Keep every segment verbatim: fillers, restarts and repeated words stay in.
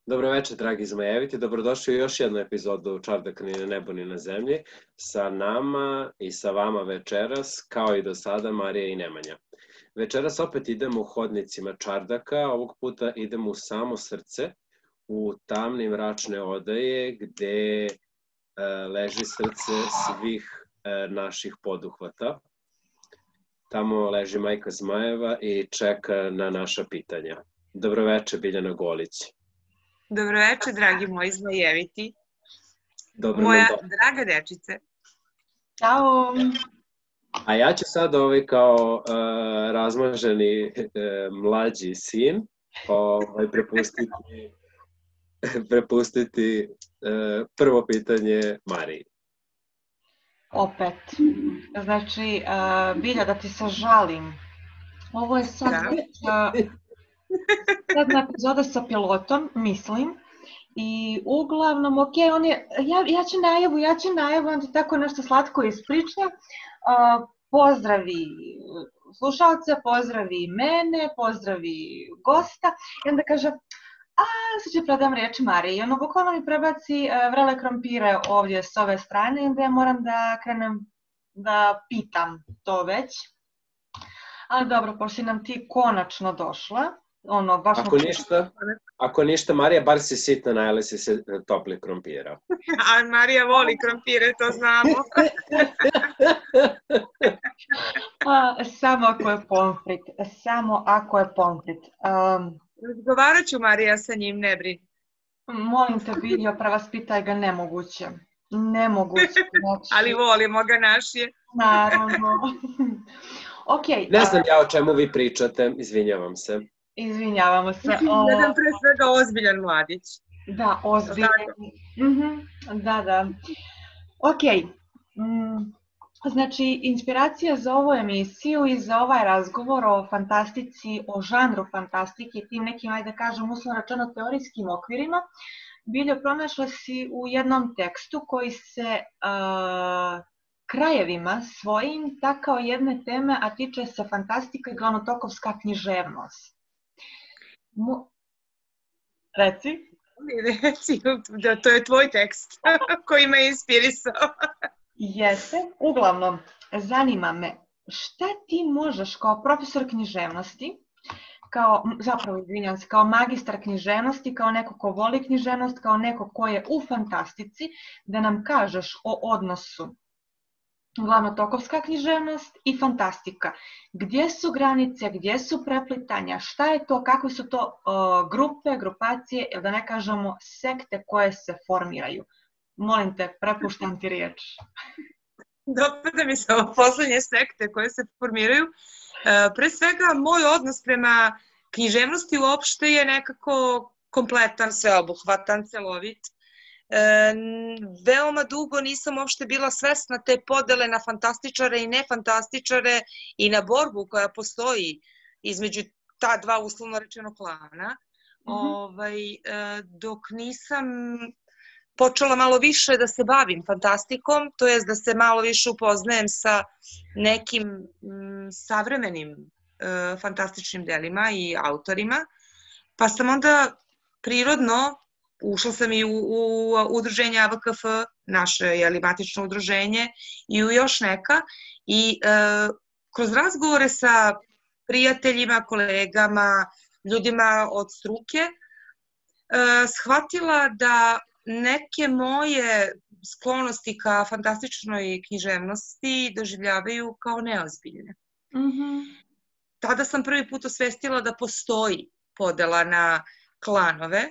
Dobro večer, dragi zmajeviti. Dobrodošli u još jednu epizodu Čardaka ni na nebu ni na zemlji. Sa nama i sa vama večeras, kao i do sada, Marija i Nemanja. Večeras opet idemo u hodnicima Čardaka, ovog puta idemo u samo srce, u tamne mračne odaje gde e, leži srce svih e, naših poduhvata. Tamo leži majka zmajeva i čeka na naša pitanja. Dobro večer, Biljana Golić. Dobro večer, dragi moji zmajeviti. Dobro Moja nam do... draga dečice. Ćao! A ja ću sad ovaj kao uh, razmaženi uh, mlađi sin ovaj, prepustiti, prepustiti uh, prvo pitanje Mariji. Opet. Znači, uh, Bilja, da ti se žalim. Ovo je sad uh, jedna epizoda sa pilotom, mislim. I uglavnom, ok, on je, ja, ja ću najavu, ja ću najavu, on ti tako nešto slatko ispriča. Uh, pozdravi slušalce, pozdravi mene, pozdravi gosta. I onda kaže, a sad ću predam riječ Mariji. I ono bukvalno mi prebaci uh, vrele krompire ovdje s ove strane i onda ja moram da krenem da pitam to već. Ali dobro, pošto nam ti konačno došla. Ono, baš ako, ništa, ako ništa, Marija, bar si sitna, najeli si se topli krompira. A Marija voli krompire, to znamo. A, samo ako je pomfrit, samo ako je pomfrit. Um, Razgovarat ću, Marija, sa njim, ne brini. Molim te, Biljo, prevaspitaj ga, nemoguće. Nemoguće. Znači... Ali volimo ga naši. Naravno. Okay, ne znam ja o čemu vi pričate, izvinjavam se. Izvinjavamo se. Jedan pre svega ozbiljan mladić. Da, ozbiljan. Mm-hmm. Da, da. Ok. Mm. Znači, inspiracija za ovu emisiju i za ovaj razgovor o fantastici, o žanru fantastike i tim nekim, ajde kažem, uslovno rečeno teorijskim okvirima, Biljo, pronašla si u jednom tekstu koji se uh, krajevima svojim takao jedne teme, a tiče se fantastika i glavnotokovska književnost. Mo... Reci. Reci, da to je tvoj tekst koji me inspirisao. Jeste. Uglavnom, zanima me šta ti možeš kao profesor književnosti, kao, zapravo izvinjam se, kao magistar književnosti, kao neko ko voli književnost, kao neko ko je u fantastici, da nam kažeš o odnosu glavnotokovska književnost i fantastika. Gdje su granice, gdje su preplitanja, šta je to, kakve su to o, grupe, grupacije, ili da ne kažemo sekte koje se formiraju. Molim te, prepuštam ti riječ. Dopada mi se ovo poslednje sekte koje se formiraju. E, pre svega, moj odnos prema književnosti uopšte je nekako kompletan, sveobuhvatan, celovit. E, veoma dugo nisam uopšte bila svesna te podele na fantastičare i nefantastičare i na borbu koja postoji između ta dva uslovno rečeno klana. Mm-hmm. ovaj, e, dok nisam počela malo više da se bavim fantastikom, to jest da se malo više upoznajem sa nekim m, savremenim e, fantastičnim delima i autorima, pa sam onda prirodno ušla sam i u, u udruženje A V K F, naše jeli, matično udruženje, i u još neka. I e, kroz razgovore sa prijateljima, kolegama, ljudima od struke, e, shvatila da neke moje sklonosti ka fantastičnoj književnosti doživljavaju kao neozbiljne. Mm-hmm. Tada sam prvi put osvestila da postoji podela na klanove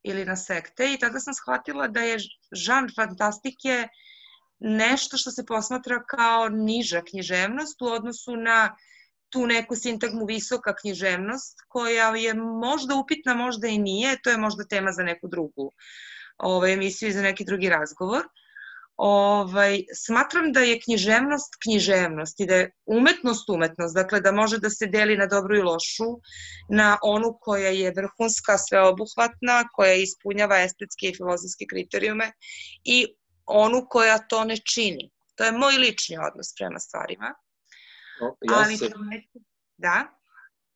ili na sekte i tada sam shvatila da je žanr fantastike nešto što se posmatra kao niža književnost u odnosu na tu neku sintagmu visoka književnost koja je možda upitna, možda i nije, to je možda tema za neku drugu ovaj, emisiju i za neki drugi razgovor. Ovaj, smatram da je književnost književnost i da je umetnost umetnost, dakle da može da se deli na dobru i lošu, na onu koja je vrhunska, sveobuhvatna, koja ispunjava estetske i filozofske kriterijume i onu koja to ne čini. To je moj lični odnos prema stvarima. O, ja Ali se... da?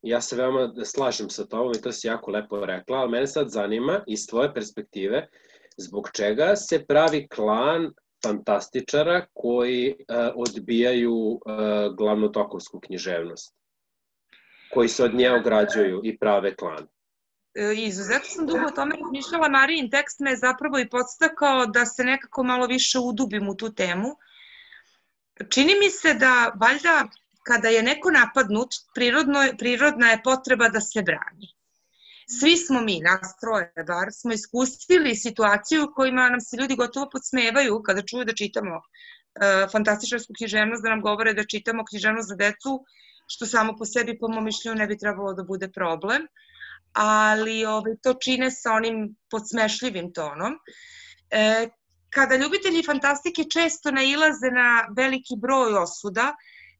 Ja se veoma slažem sa tobom i to si jako lepo rekla, ali mene sad zanima iz tvoje perspektive zbog čega se pravi klan fantastičara koji uh, odbijaju uh, glavnotokovsku književnost, koji se od nje ograđuju i prave klan. Izuzetno sam dugo o tome razmišljala, Marijin tekst me zapravo i podstakao da se nekako malo više udubim u tu temu. Čini mi se da valjda kada je neko napadnut, prirodno, prirodna je potreba da se brani. Svi smo mi, nas troje, bar smo iskusili situaciju u kojima nam se ljudi gotovo podsmevaju kada čuju da čitamo uh, fantastičarsku književnost, da nam govore da čitamo književnost za decu, što samo po sebi, po mom mišljenju, ne bi trebalo da bude problem, ali ovaj, to čine sa onim podsmešljivim tonom. E, kada ljubitelji fantastike često nailaze na veliki broj osuda,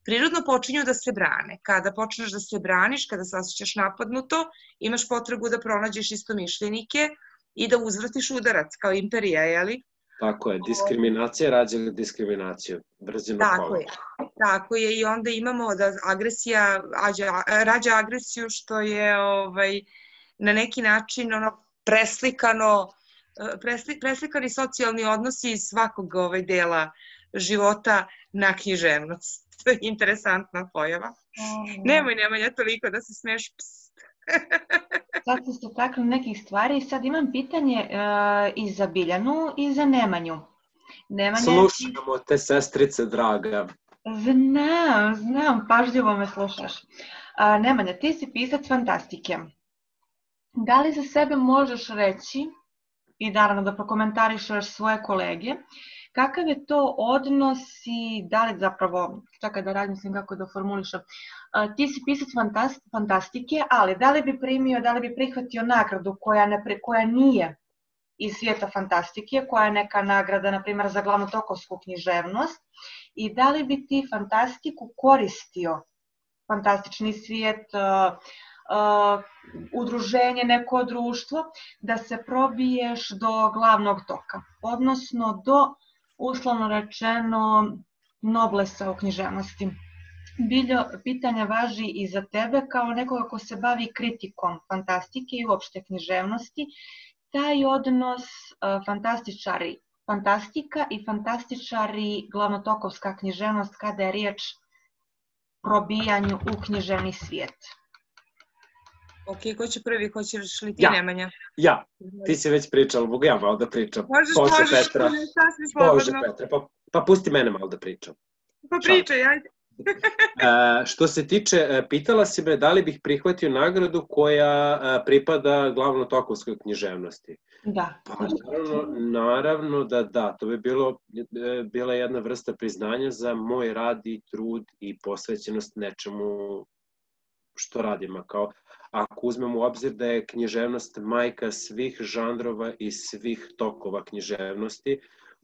prirodno počinju da se brane. Kada počneš da se braniš, kada se osjećaš napadnuto, imaš potrebu da pronađeš istomišljenike i da uzvratiš udarac, kao imperija, jeli? Tako je, diskriminacija rađa diskriminaciju, brzino kola. Tako je, tako je i onda imamo da agresija rađa agresiju, što je ovaj, na neki način ono, preslikano, presli, preslikani socijalni odnosi iz svakog ovaj, dela života na književnost. To je interesantna pojava. Mm. Nemoj, nemoj, ja toliko da se smiješ. Sad ste se takli nekih stvari i sad imam pitanje uh, i za Biljanu i za Nemanju. Nemanja... Slušamo te, sestrice draga. Znam, znam, pažljivo me slušaš. Uh, Nemanja, ti si pisac fantastike. Da li za sebe možeš reći, i naravno da prokomentarišeš svoje kolege, kakav je to odnos i da li zapravo, čekaj da razmislim kako da formulišem, ti si pisac fantastike, ali da li bi primio, da li bi prihvatio nagradu koja, ne, koja nije iz svijeta fantastike, koja je neka nagrada, na primjer, za glavnotokovsku književnost, i da li bi ti fantastiku koristio, fantastični svijet, uh, uh, udruženje, neko društvo, da se probiješ do glavnog toka, odnosno do, uslovno rečeno, noblesa u književnosti. Biljo, pitanja važi i za tebe kao nekoga ko se bavi kritikom fantastike i uopšte književnosti, taj odnos uh, fantastičari, fantastika i fantastičari glavnotokovska književnost kada je riječ probijanju u književni svijet. Ok, ko će prvi, ko ćeš li ti, ja. Nemanja? Ja, ti si već pričala, mogu ja malo da pričam. Možeš, Bože, možeš, Petra. Bože, Petra, pa, pa pusti mene malo da pričam. Pa pričaj, ajde. e, što se tiče, pitala si me da li bih prihvatio nagradu koja pripada glavnotokovskoj književnosti. Da. Pa naravno, naravno da da, to bi bilo, bila jedna vrsta priznanja za moj rad i trud i posvećenost nečemu što radimo. Kao, ako uzmemo u obzir da je književnost majka svih žanrova i svih tokova književnosti,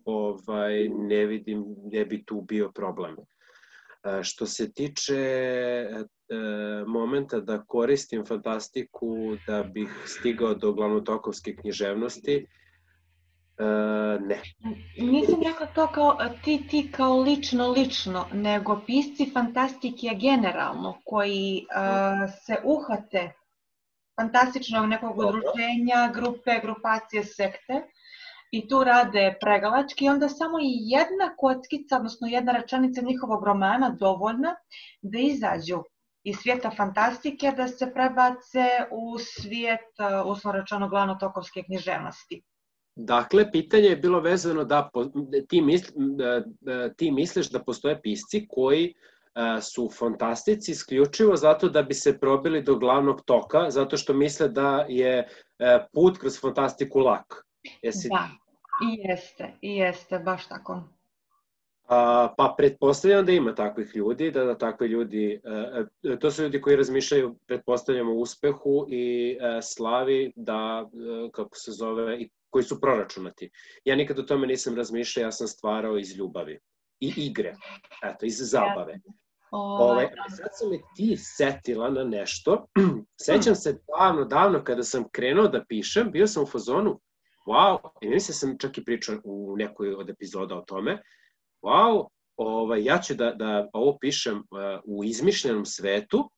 ovaj, ne vidim gdje bi tu bio problem. Što se tiče e, momenta da koristim fantastiku da bih stigao do glavnotokovske književnosti, e, ne. Nisam rekla to kao ti, ti kao lično, lično, nego pisci fantastike generalno, koji e, se uhvate fantastičnog nekog udruženja, grupe, grupacije, sekte, i tu rade pregalački i onda samo i jedna kockica, odnosno jedna rečenica njihovog romana dovoljna da izađu iz svijeta fantastike, da se prebace u svijet, uslovno rečeno, glavnotokovske književnosti. Dakle, pitanje je bilo vezano da ti, misli, ti misliš da postoje pisci koji su fantastici isključivo zato da bi se probili do glavnog toka, zato što misle da je put kroz fantastiku lak. Jesi... Da, i jeste, i jeste, baš tako. A, pa pretpostavljam da ima takvih ljudi, da, da takvi ljudi, e, to su ljudi koji razmišljaju, pretpostavljamo, o uspehu i e, slavi, da, e, kako se zove, i koji su proračunati. Ja nikad o tome nisam razmišljao, ja sam stvarao iz ljubavi i igre, eto, iz zabave. Ove, sad sam me ti setila na nešto, sećam se davno, davno kada sam krenuo da pišem, bio sam u fazonu, wow, i mislim sam čak i pričao u nekoj od epizoda o tome, wow, ovaj, ja ću da, da ovo pišem uh, u izmišljenom svetu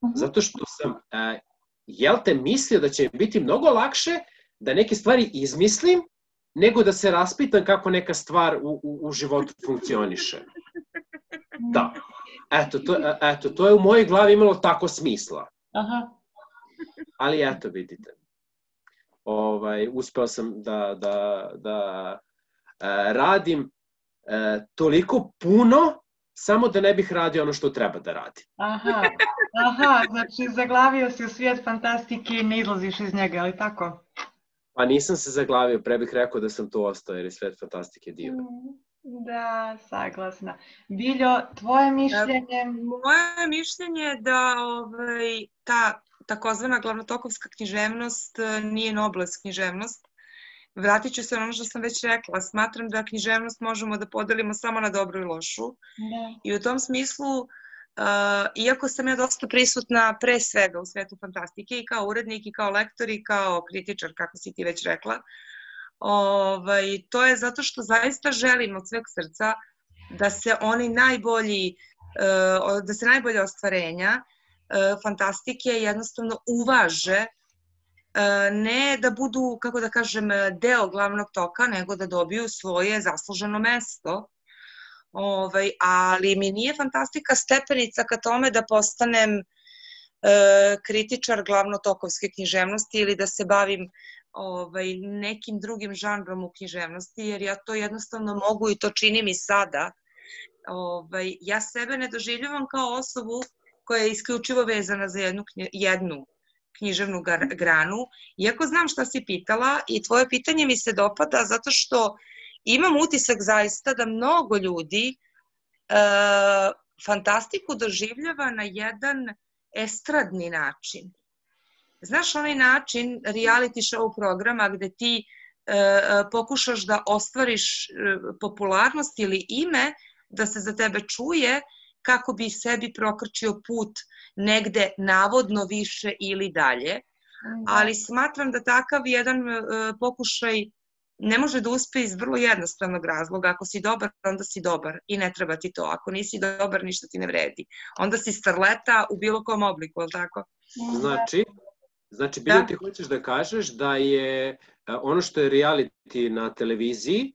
Uh-huh. Zato što sam, uh, jel te, mislio da će mi biti mnogo lakše da neke stvari izmislim, nego da se raspitam kako neka stvar u, u, u životu funkcioniše. Da. Eto to, eto, to je u mojoj glavi imalo tako smisla. Aha. Ali eto, vidite. Ovaj, uspeo sam da, da, da e, radim e, toliko puno, samo da ne bih radio ono što treba da radim. Aha, aha, znači zaglavio si u svijet fantastike i ne izlaziš iz njega, ali tako? Pa nisam se zaglavio, pre bih rekao da sam tu ostao, jer je svijet fantastike divan. Da, saglasna. Biljo, tvoje mišljenje? Moje mišljenje je da ovaj, ta takozvana glavnotokovska književnost nije noblest književnost. Vratit ću se na ono što sam već rekla. Smatram da književnost možemo da podelimo samo na dobru i lošu. Da. I u tom smislu, uh, iako sam ja dosta prisutna pre svega u svetu fantastike i kao urednik i kao lektor i kao kritičar, kako si ti već rekla, ovaj, to je zato što zaista želim od sveg srca da se oni najbolji, uh, da se najbolje ostvarenja uh, fantastike jednostavno uvaže, ne da budu, kako da kažem, deo glavnog toka, nego da dobiju svoje zasluženo mesto. Ovaj, ali mi nije fantastika stepenica ka tome da postanem e, kritičar glavnotokovske književnosti ili da se bavim ovaj, nekim drugim žanrom u književnosti, jer ja to jednostavno mogu i to činim i sada. Ovaj, ja sebe ne doživljavam kao osobu koja je isključivo vezana za jednu, jednu književnu granu, iako znam šta si pitala i tvoje pitanje mi se dopada zato što imam utisak zaista da mnogo ljudi e, fantastiku doživljava na jedan estradni način. Znaš, onaj način reality show programa gde ti e, pokušaš da ostvariš popularnost ili ime, da se za tebe čuje, kako bi sebi prokrčio put negde navodno više ili dalje. Ali smatram da takav jedan pokušaj ne može da uspe iz vrlo jednostavnog razloga. Ako si dobar, onda si dobar i ne treba ti to. Ako nisi dobar, ništa ti ne vredi. Onda si starleta u bilo kom obliku, ali tako? Znači, znači Biljo, ti hoćeš da kažeš da je ono što je reality na televiziji,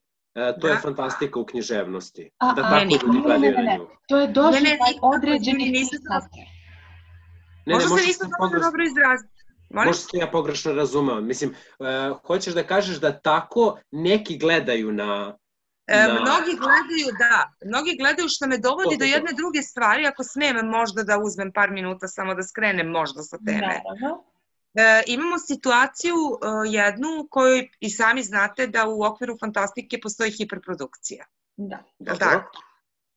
to je fantastika u književnosti. Da tako ljudi gledaju na nju. To je doživljaj određenih pisata. Možda se nisam dobro izraziti. Možda se ja pogrešno razumeo. Mislim, hoćeš da kažeš da tako neki gledaju na... Mnogi gledaju, da. Mnogi gledaju, što me dovodi do jedne druge stvari, ako smijem možda da uzmem par minuta samo da skrenem možda sa teme. E, imamo situaciju e, jednu koju i sami znate da u okviru fantastike postoji hiperprodukcija. Da. Da, tako?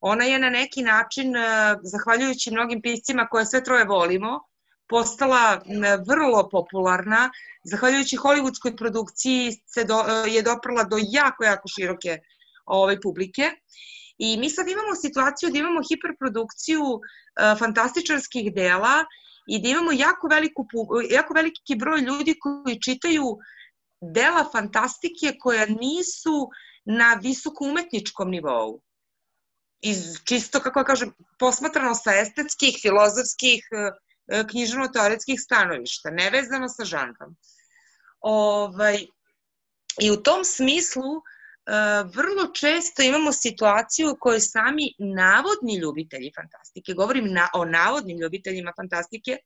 Ona je na neki način, e, zahvaljujući mnogim piscima koje sve troje volimo, postala e, vrlo popularna. Zahvaljujući hollywoodskoj produkciji se do, e, je doprla do jako, jako široke ove, publike. I mi sad imamo situaciju da imamo hiperprodukciju e, fantastičarskih dela i da imamo jako, veliku, jako veliki broj ljudi koji čitaju dela fantastike koja nisu na visoko umetničkom nivou. Iz čisto, kako kažem, posmatrano sa estetskih, filozofskih, književno-teoretskih stanovišta, nevezano sa žanrom. Ovaj, I u tom smislu vrlo često imamo situaciju u kojoj sami navodni ljubitelji fantastike, govorim na, o navodnim ljubiteljima fantastike,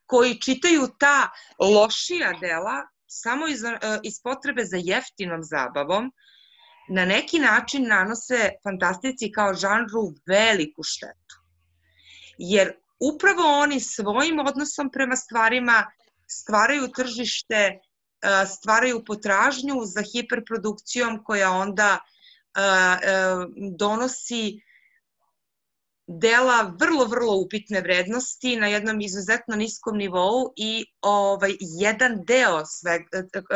koji čitaju ta lošija dela samo iz, iz potrebe za jeftinom zabavom, na neki način nanose fantastici kao žanru veliku štetu. Jer upravo oni svojim odnosom prema stvarima stvaraju tržište, stvaraju potražnju za hiperprodukcijom koja onda donosi dela vrlo, vrlo upitne vrednosti na jednom izuzetno niskom nivou i ovaj, jedan deo sve,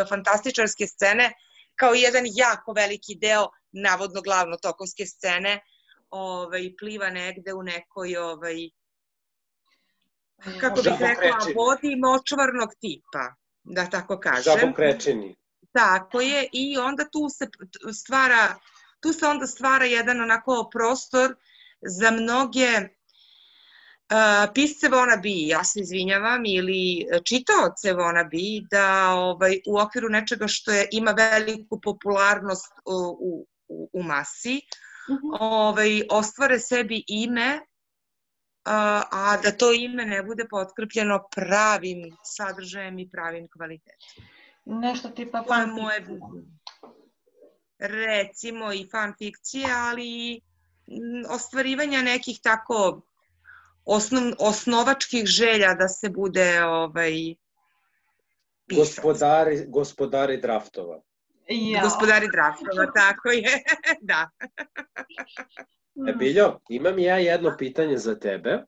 fantastičarske scene, kao jedan jako veliki deo navodno glavno tokovske scene, ovaj, pliva negde u nekoj, ovaj, kako bih rekla, vodi močvarnog tipa, da tako kažem. Žabokrečeni. Tako je, i onda tu se stvara, tu se onda stvara jedan onako prostor za mnoge pisce wannabe, ja se izvinjavam, ili čitaoce wannabe, da ovaj, u okviru nečega što je, ima veliku popularnost u, u, u masi, mm-hmm. ovaj, ostvare sebi ime, a, a da to ime ne bude potkrepljeno pravim sadržajem i pravim kvalitetom. Nešto tipa fanfikcije. Recimo i fanfikcije, ali ostvarivanja nekih tako osnov, osnovačkih želja da se bude ovaj, pisac. Gospodari, gospodari draftova. Ja. Gospodari draftova, tako je, da. E, Biljo, imam ja jedno pitanje za tebe.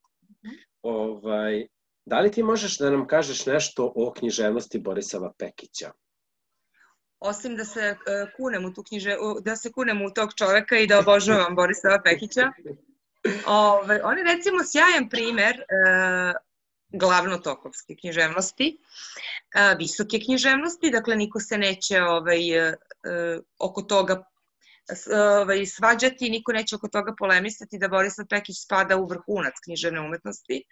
Ovaj, da li ti možeš da nam kažeš nešto o književnosti Borisava Pekića? Osim da se uh, kunem u tu knjiže, da se kunem u tog čoveka i da obožavam Borisava Pekića. Ove, on je recimo sjajan primer uh, glavnotokovske književnosti, uh, visoke književnosti, dakle niko se neće ovaj, uh, oko toga ovaj, svađati, niko neće oko toga polemisati da Borisav Pekić spada u vrhunac književne umetnosti.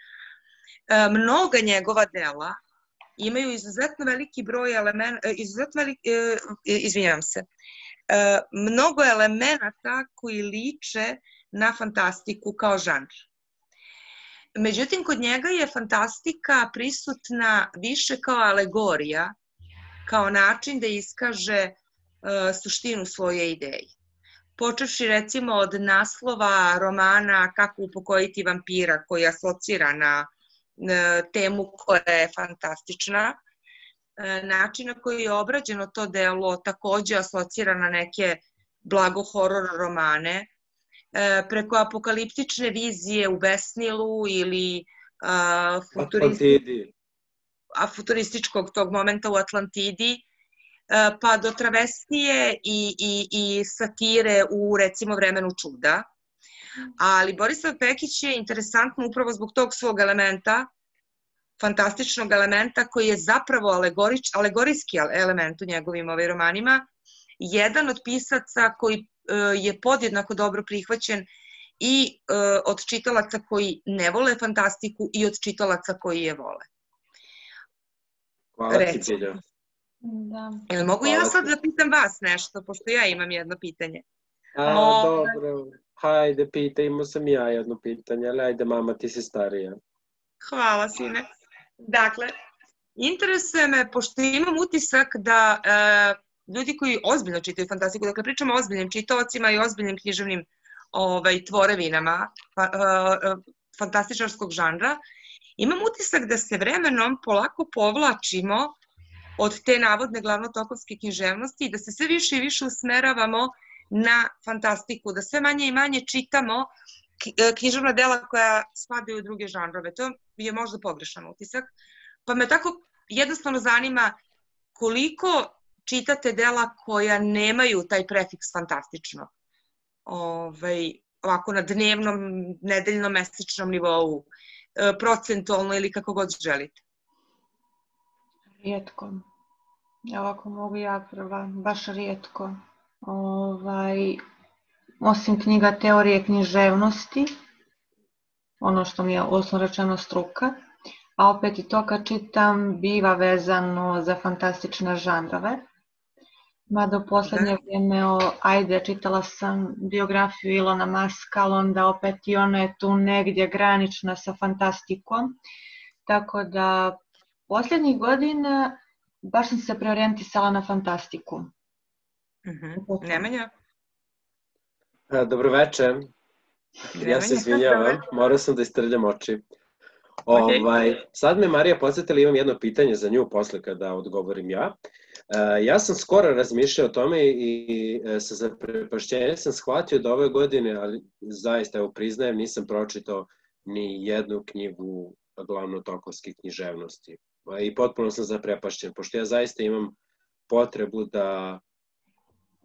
Uh, mnoga njegova dela imaju izuzetno veliki broj elementa, izuzetno veliki, izvinjavam se, mnogo elemenata koji liče na fantastiku kao žanr. Međutim, kod njega je fantastika prisutna više kao alegorija, kao način da iskaže suštinu svoje ideje. Počevši recimo od naslova romana Kako upokojiti vampira, koji asocira na temu koja je fantastična, način na koji je obrađeno to delo takođe asocira na neke blago horor romane, preko apokaliptične vizije u Besnilu ili a, futuristi, a, futurističkog tog momenta u Atlantidi, a, pa do travestije i, i, i satire u recimo Vremenu čuda. Ali Borisav Pekić je interesantno upravo zbog tog svog elementa, fantastičnog elementa koji je zapravo alegorič, alegorijski element u njegovim ovaj romanima, jedan od pisaca koji uh, je podjednako dobro prihvaćen i uh, od čitalaca koji ne vole fantastiku i od čitalaca koji je vole. Hvala ti, Bilja. Da. Mogu Hvala ja sad ti. Da pitam vas nešto, pošto ja imam jedno pitanje. A, o... dobro. Hajde, pita, imao sam ja jedno pitanje, ali ajde, mama, ti si starija. Hvala, sine. Dakle, interesuje me, pošto imam utisak da e, ljudi koji ozbiljno čitaju fantastiku, dakle, pričamo o ozbiljnim čitaocima i ozbiljnim književnim ovaj, tvorevinama fa, e, fantastičarskog žanra, imam utisak da se vremenom polako povlačimo od te navodne glavnotokovske književnosti i da se sve više i više usmeravamo na fantastiku, da sve manje i manje čitamo književna dela koja spadaju u druge žanrove. To je možda pogrešan utisak. Pa me tako jednostavno zanima koliko čitate dela koja nemaju taj prefiks fantastično. Ovaj, ovako na dnevnom, nedeljnom, mesečnom nivou, procentualno ili kako god želite. Rijetko. Ovako mogu ja prva, baš rijetko. Ovaj, osim knjiga teorije književnosti, ono što mi je osnovno rečeno struka, a opet i to kad čitam biva vezano za fantastične žanrove. Mada u poslednje vrijeme, o, ajde, čitala sam biografiju Ilona Maska, ali onda opet i ona je tu negdje granična sa fantastikom. Tako da, posljednjih godina baš sam se preorijentisala na fantastiku. Mm-hmm. Nemanja? Dobroveče. Ja se izvinjavam, morao sam da istrljam oči. Okay. Ovaj, sad me Marija podsjetila, imam jedno pitanje za nju posle kada odgovorim ja. Uh, ja sam skoro razmišljao o tome i, i sa zaprepašćenjem sam shvatio da ove godine, ali zaista evo priznajem, nisam pročitao ni jednu knjigu glavnotokovske književnosti. I potpuno sam zaprepašćen, pošto ja zaista imam potrebu da,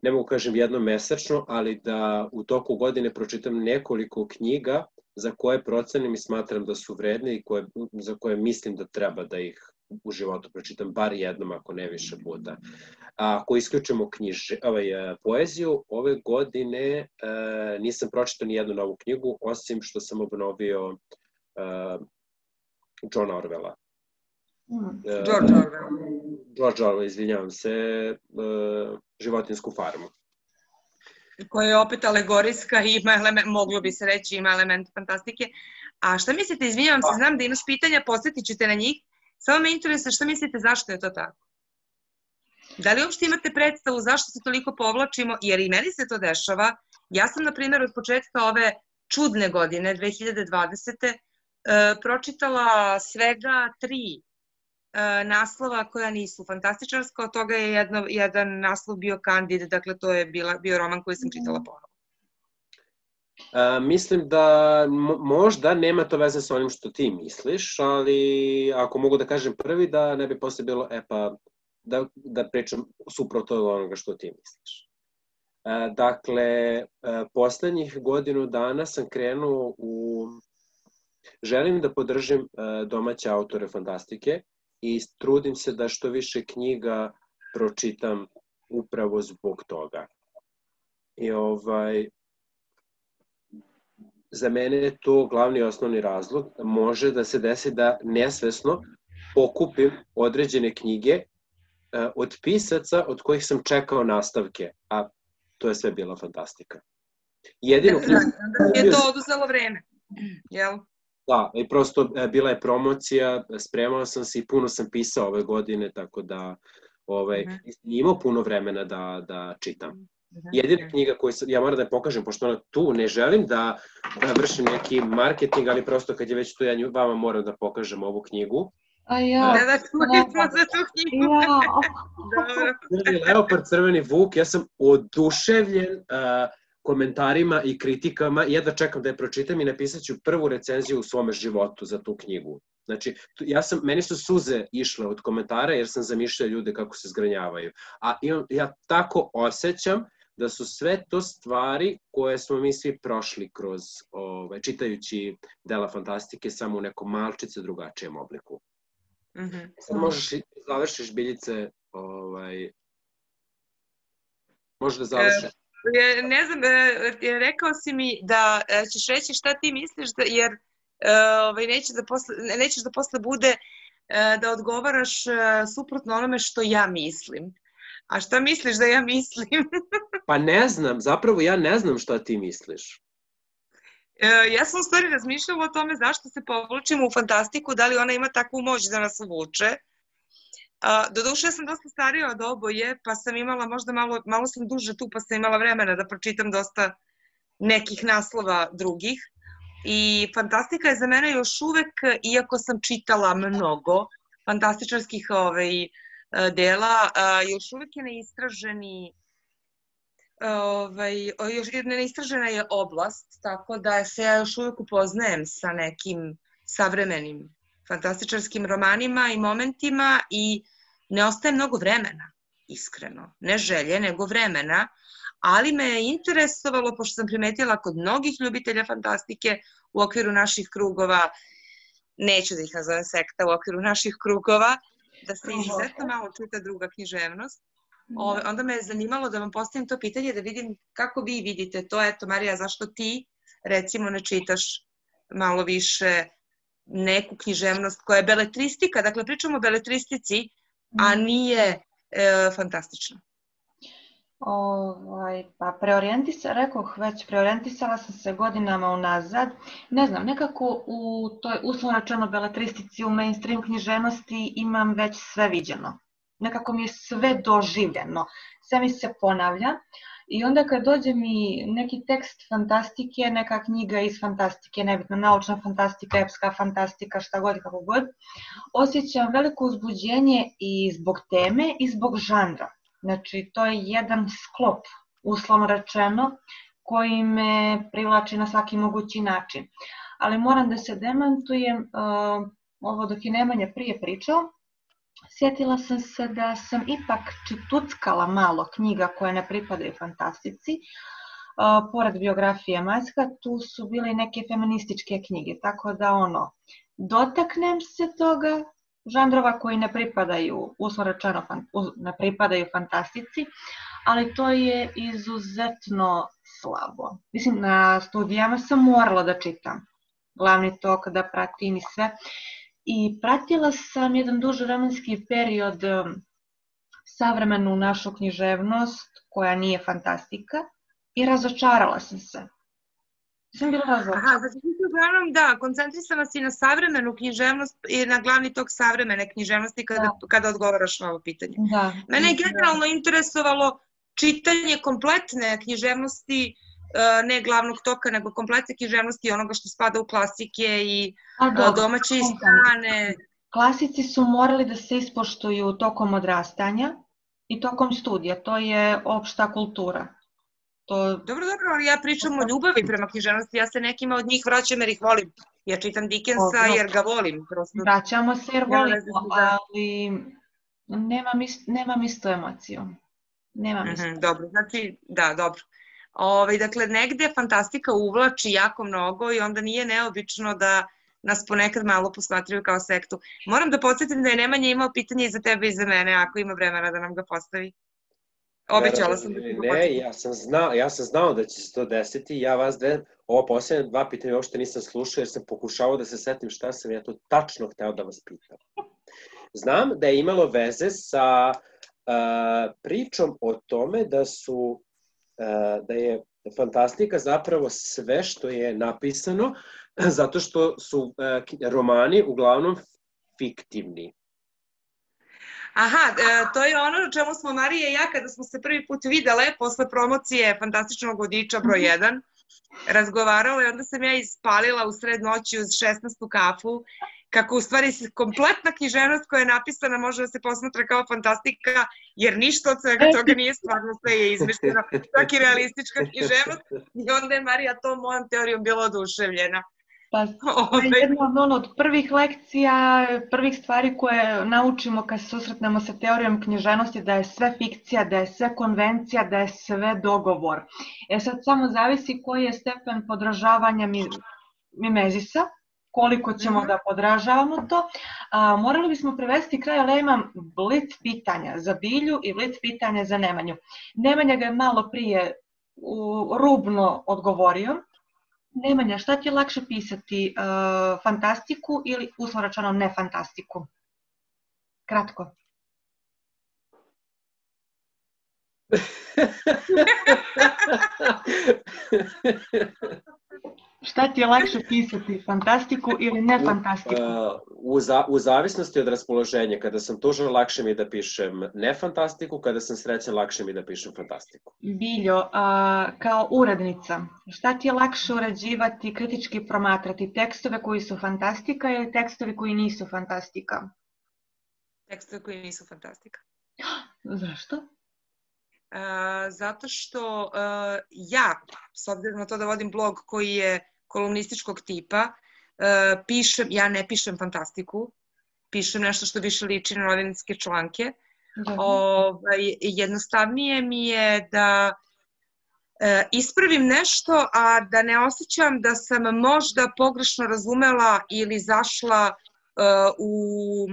ne mogu kažem jednom mesečno, ali da u toku godine pročitam nekoliko knjiga za koje procenim i smatram da su vredne i koje, za koje mislim da treba da ih u životu pročitam bar jednom, ako ne više puta. A ako isključimo knjiže, ovaj, poeziju, ove godine e, nisam pročitao ni jednu novu knjigu, osim što sam obnovio uh, Johna Orwella. Mm. Uh, George Orwell. George Orwell, izvinjavam se, uh, Životinjsku farmu. Koja je opet alegorijska i ima element, moglo bi se reći, ima element fantastike. A šta mislite, izvinjavam se, znam da imaš pitanja, posjetit ću te na njih, samo me interesuje šta mislite zašto je to tako? Da li uopšte imate predstavu zašto se toliko povlačimo, jer i meni se to dešava. Ja sam, na primjer, od početka ove čudne godine, dve hiljade dvadesete. Uh, pročitala svega tri uh, naslova koja nisu fantastičarska, od toga je jedno, jedan naslov bio Kandid, dakle to je bila, bio roman koji sam čitala ponovo. Uh, mislim da možda nema to veze sa onim što ti misliš, ali ako mogu da kažem prvi, da ne bi posle bilo, e pa, da, da pričam suprotno od onoga što ti misliš. Uh, dakle, uh, poslednjih godinu dana sam krenuo u... Želim da podržim uh, domaće autore fantastike i trudim se da što više knjiga pročitam upravo zbog toga. I ovaj... Za mene je to glavni osnovni razlog. Može da se desi da nesvesno pokupim određene knjige uh, od pisaca od kojih sam čekao nastavke, a to je sve bila fantastika. Jedino knjigu... Da je to oduzelo vreme, jel? Da, i prosto e, bila je promocija, spremao sam se i puno sam pisao ove godine, tako da ovaj, uh-huh. imao puno vremena da, da čitam. Uh-huh. Jedina knjiga koju sam, ja moram da je pokažem, pošto ona tu, ne želim da, da vršim neki marketing, ali prosto kad je već tu, ja nju, vama moram da pokažem ovu knjigu. A ja, da, da, smo za tu knjigu. Ja. Crveni leopard, crveni vuk, ja sam oduševljen uh, komentarima i kritikama, jedva čekam da je pročitam i napisat ću prvu recenziju u svome životu za tu knjigu. Znači, ja sam, meni su suze išle od komentara jer sam zamišljao ljude kako se zgranjavaju. A ja tako osjećam da su sve to stvari koje smo mi svi prošli kroz, ovaj, čitajući dela fantastike, samo u nekom malčice drugačijem obliku. Mm-hmm. Sad možeš i završiš, Biljice, ovaj, možeš da završiš. E, ne znam, e, rekao si mi da ćeš reći šta ti misliš, da, jer e, ovaj, nećeš, da posle, nećeš da posle bude e, da odgovaraš e, suprotno onome što ja mislim. A šta misliš da ja mislim? Pa ne znam, zapravo ja ne znam šta ti misliš. E, ja sam u stvari razmišljala o tome zašto se povlačimo u fantastiku, da li ona ima takvu moć da nas uvuče. Uh, doduše, ja sam dosta starija od oboje, pa sam imala možda malo, malo sam duže tu, pa sam imala vremena da pročitam dosta nekih naslova drugih. I fantastika je za mene još uvek, iako sam čitala mnogo fantastičarskih ovaj, dela, uh, još uvek je neistraženi, ovaj, još, neistražena je oblast, tako da se ja još uvek upoznajem sa nekim savremenim fantastičarskim romanima i momentima i ne ostaje mnogo vremena, iskreno. Ne želje, nego vremena, ali me je interesovalo, pošto sam primetila kod mnogih ljubitelja fantastike u okviru naših krugova, neću da ih nazovem sekta, u okviru naših krugova, da se izuzetno malo čita druga književnost. Ove, onda me je zanimalo da vam postavim to pitanje, da vidim kako vi vidite to. Eto, Marija, zašto ti, recimo, ne čitaš malo više neku književnost koja je beletristika, dakle pričamo o beletristici, a nije e, fantastična. Ovaj, pa preorijentisala, rekoh već, preorijentisala sam se godinama unazad. Ne znam, nekako u toj uslovno rečeno beletristici, u mainstream književnosti imam već sve viđeno. Nekako mi je sve doživljeno, sve mi se ponavlja. I onda kad dođe mi neki tekst fantastike, neka knjiga iz fantastike, nebitno naučna fantastika, epska fantastika, šta god i kako god, osjećam veliko uzbuđenje i zbog teme i zbog žanra. Znači, to je jedan sklop, uslovno rečeno, koji me privlači na svaki mogući način. Ali moram da se demantujem, uh, ovo dok je Nemanja prije pričao, sjetila sam se da sam ipak čituckala malo knjiga koje ne pripadaju fantastici. Uh, pored biografije Majska, tu su bile neke feminističke knjige, tako da ono, dotaknem se toga, žanrova koji ne pripadaju, uslovno rečeno, ne pripadaju fantastici, ali to je izuzetno slabo. Mislim, na studijama sam morala da čitam. glavni tok, da pratim i sve. I pratila sam jedan duži vremenski period savremenu našu književnost, koja nije fantastika, i razočarala sam se. Sam bila razočarana. Aha, znači ti uglavnom, da, koncentrisana si na savremenu književnost i na glavni tok savremene književnosti kada, da. kada odgovaraš na ovo pitanje. Da. Mene je generalno interesovalo čitanje kompletne književnosti, ne glavnog toka, nego kompletne književnosti onoga što spada u klasike i A, domaće i strane. Klasici su morali da se ispoštuju tokom odrastanja i tokom studija, to je opšta kultura. To... Dobro, dobro, ali ja pričam o ljubavi prema književnosti, ja se nekima od njih vraćam jer ih volim. Ja čitam Dickensa o, jer ga volim. Prosto. Vraćamo se jer volimo, ja ali nemam, ist, nemam istu emociju. Nemam istu. Mm-hmm, dobro, znači, da, dobro. Ove, dakle, negde fantastika uvlači jako mnogo i onda nije neobično da nas ponekad malo posmatraju kao sektu. Moram da podsjetim da je Nemanja imao pitanje i za tebe i za mene, ako ima vremena da nam ga postavi. Obećala sam da ću ga Ne, ja sam, znao, ja sam znao da će se to desiti. Ja vas dve, ovo posljednje dva pitanja uopšte nisam slušao jer sam pokušao da se setim šta sam ja to tačno hteo da vas pitam. Znam da je imalo veze sa uh, pričom o tome da su uh, da je fantastika zapravo sve što je napisano zato što su uh, romani uglavnom fiktivni. Aha, to je ono o čemu smo Marija i ja kada smo se prvi put videle posle promocije Fantastičnog vodiča broj jedan razgovarala i onda sam ja ispalila u sred noći uz šesnaestu kafu kako u stvari kompletna književnost koja je napisana može da se posmatra kao fantastika jer ništa od svega toga nije stvarno, sve je izmišljeno, čak i realistička književnost i onda je Marija tom mojom teorijom bila oduševljena. Pa, to je jedna od prvih lekcija, prvih stvari koje naučimo kad se susretnemo sa teorijom književnosti, da je sve fikcija, da je sve konvencija, da je sve dogovor. E sad samo zavisi koji je stepen podražavanja mimezisa, koliko ćemo da podražavamo to. A, morali bismo prevesti kraj, ali ja imam blic pitanja za Bilju i blic pitanja za Nemanju. Nemanja ga je malo prije u, rubno odgovorio. Nemanja, šta ti je lakše pisati, uh, fantastiku ili uslovno rečeno ne fantastiku? Kratko. Šta ti je lakše pisati, fantastiku ili ne fantastiku? U, za, u zavisnosti od raspoloženja. Kada sam tužan, lakše mi da pišem ne fantastiku, kada sam srećan, lakše mi da pišem fantastiku. Biljo, a, kao urednica, šta ti je lakše urađivati, kritički promatrati, tekstove koji su fantastika ili tekstove koji nisu fantastika? Tekstove koji nisu fantastika. Zašto? Uh, zato što uh, ja, s obzirom na to da vodim blog koji je kolumnističkog tipa, uh, pišem, ja ne pišem fantastiku, pišem nešto što više liči na novinske članke. Ovaj, jednostavnije mi je da uh, ispravim nešto, a da ne osjećam da sam možda pogrešno razumela ili zašla uh, u,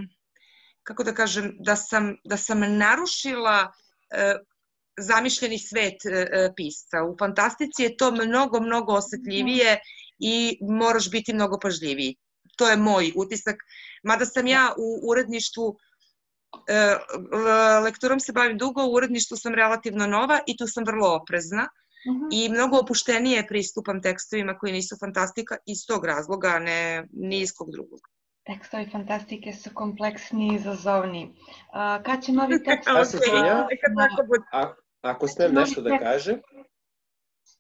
kako da kažem, da sam, da sam narušila uh, zamišljeni svet e, pisca. U fantastici je to mnogo, mnogo osetljivije i moraš biti mnogo pažljiviji. To je moj utisak. Mada sam ja u uredništvu, e, lekturom se bavim dugo, u uredništvu sam relativno nova i tu sam vrlo oprezna uh-huh. i mnogo opuštenije pristupam tekstovima koji nisu fantastika iz tog razloga, a ne ni iz kog drugog. Tekstovi fantastike su kompleksni i izazovni. Uh, kad će novi tekst... okay, ja? A, ako smijem nešto da kažem?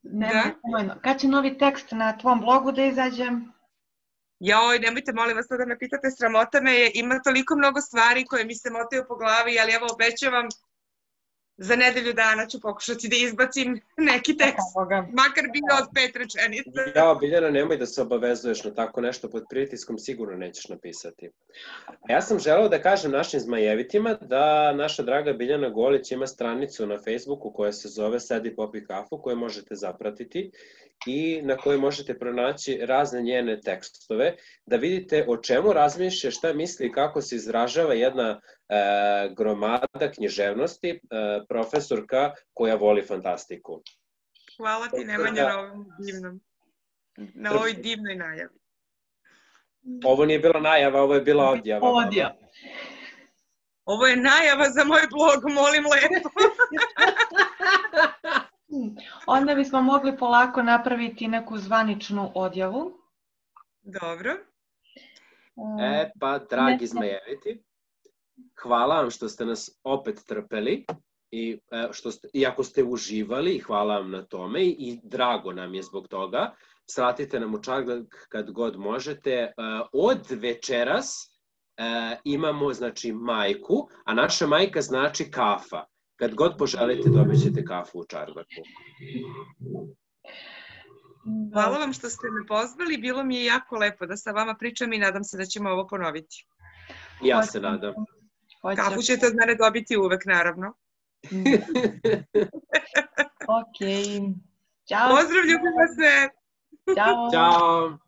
Ne, da? Kad će novi tekst na tvom blogu da izađe? Joj, nemojte, molim vas, da me pitate, sramota me, ima toliko mnogo stvari koje mi se motaju po glavi, ali evo, obećavam, za nedelju dana ću pokušati da izbacim neki tekst, makar bio od pet rečenica. Ja, Biljana, nemoj da se obavezuješ na tako nešto, pod pritiskom sigurno nećeš napisati. Ja sam želeo da kažem našim zmajevitima da naša draga Biljana Golić ima stranicu na Facebooku koja se zove Sedi popi kafu, koju možete zapratiti i na kojoj možete pronaći razne njene tekstove, da vidite o čemu razmišlja, šta misli i kako se izražava jedna e, gromada književnosti, e, profesorka koja voli fantastiku. Hvala ti, Nemanja, na ovom divnom, na ovoj divnoj najavi. Ovo nije bila najava, ovo je bila odjava. Odjava. Ovo je najava za moj blog, molim lepo. Onda bismo mogli polako napraviti neku zvaničnu odjavu. Dobro. E pa, dragi zmajeviti, hvala vam što ste nas opet trpeli i što ste, iako ste uživali, hvala vam na tome i drago nam je zbog toga. Sratite nam u Čardak kad god možete. Od večeras imamo, znači, majku, a naša majka znači kafa. Kad god poželite, dobit ćete kafu u Čardaku. Hvala vam što ste me pozvali, bilo mi je jako lepo da sa vama pričam i nadam se da ćemo ovo ponoviti. Ja se nadam. Kafu ćete od mene dobiti uvek, naravno. Ok. Ćao. Pozdrav, ljubim vas sve. Ćao. Ćao.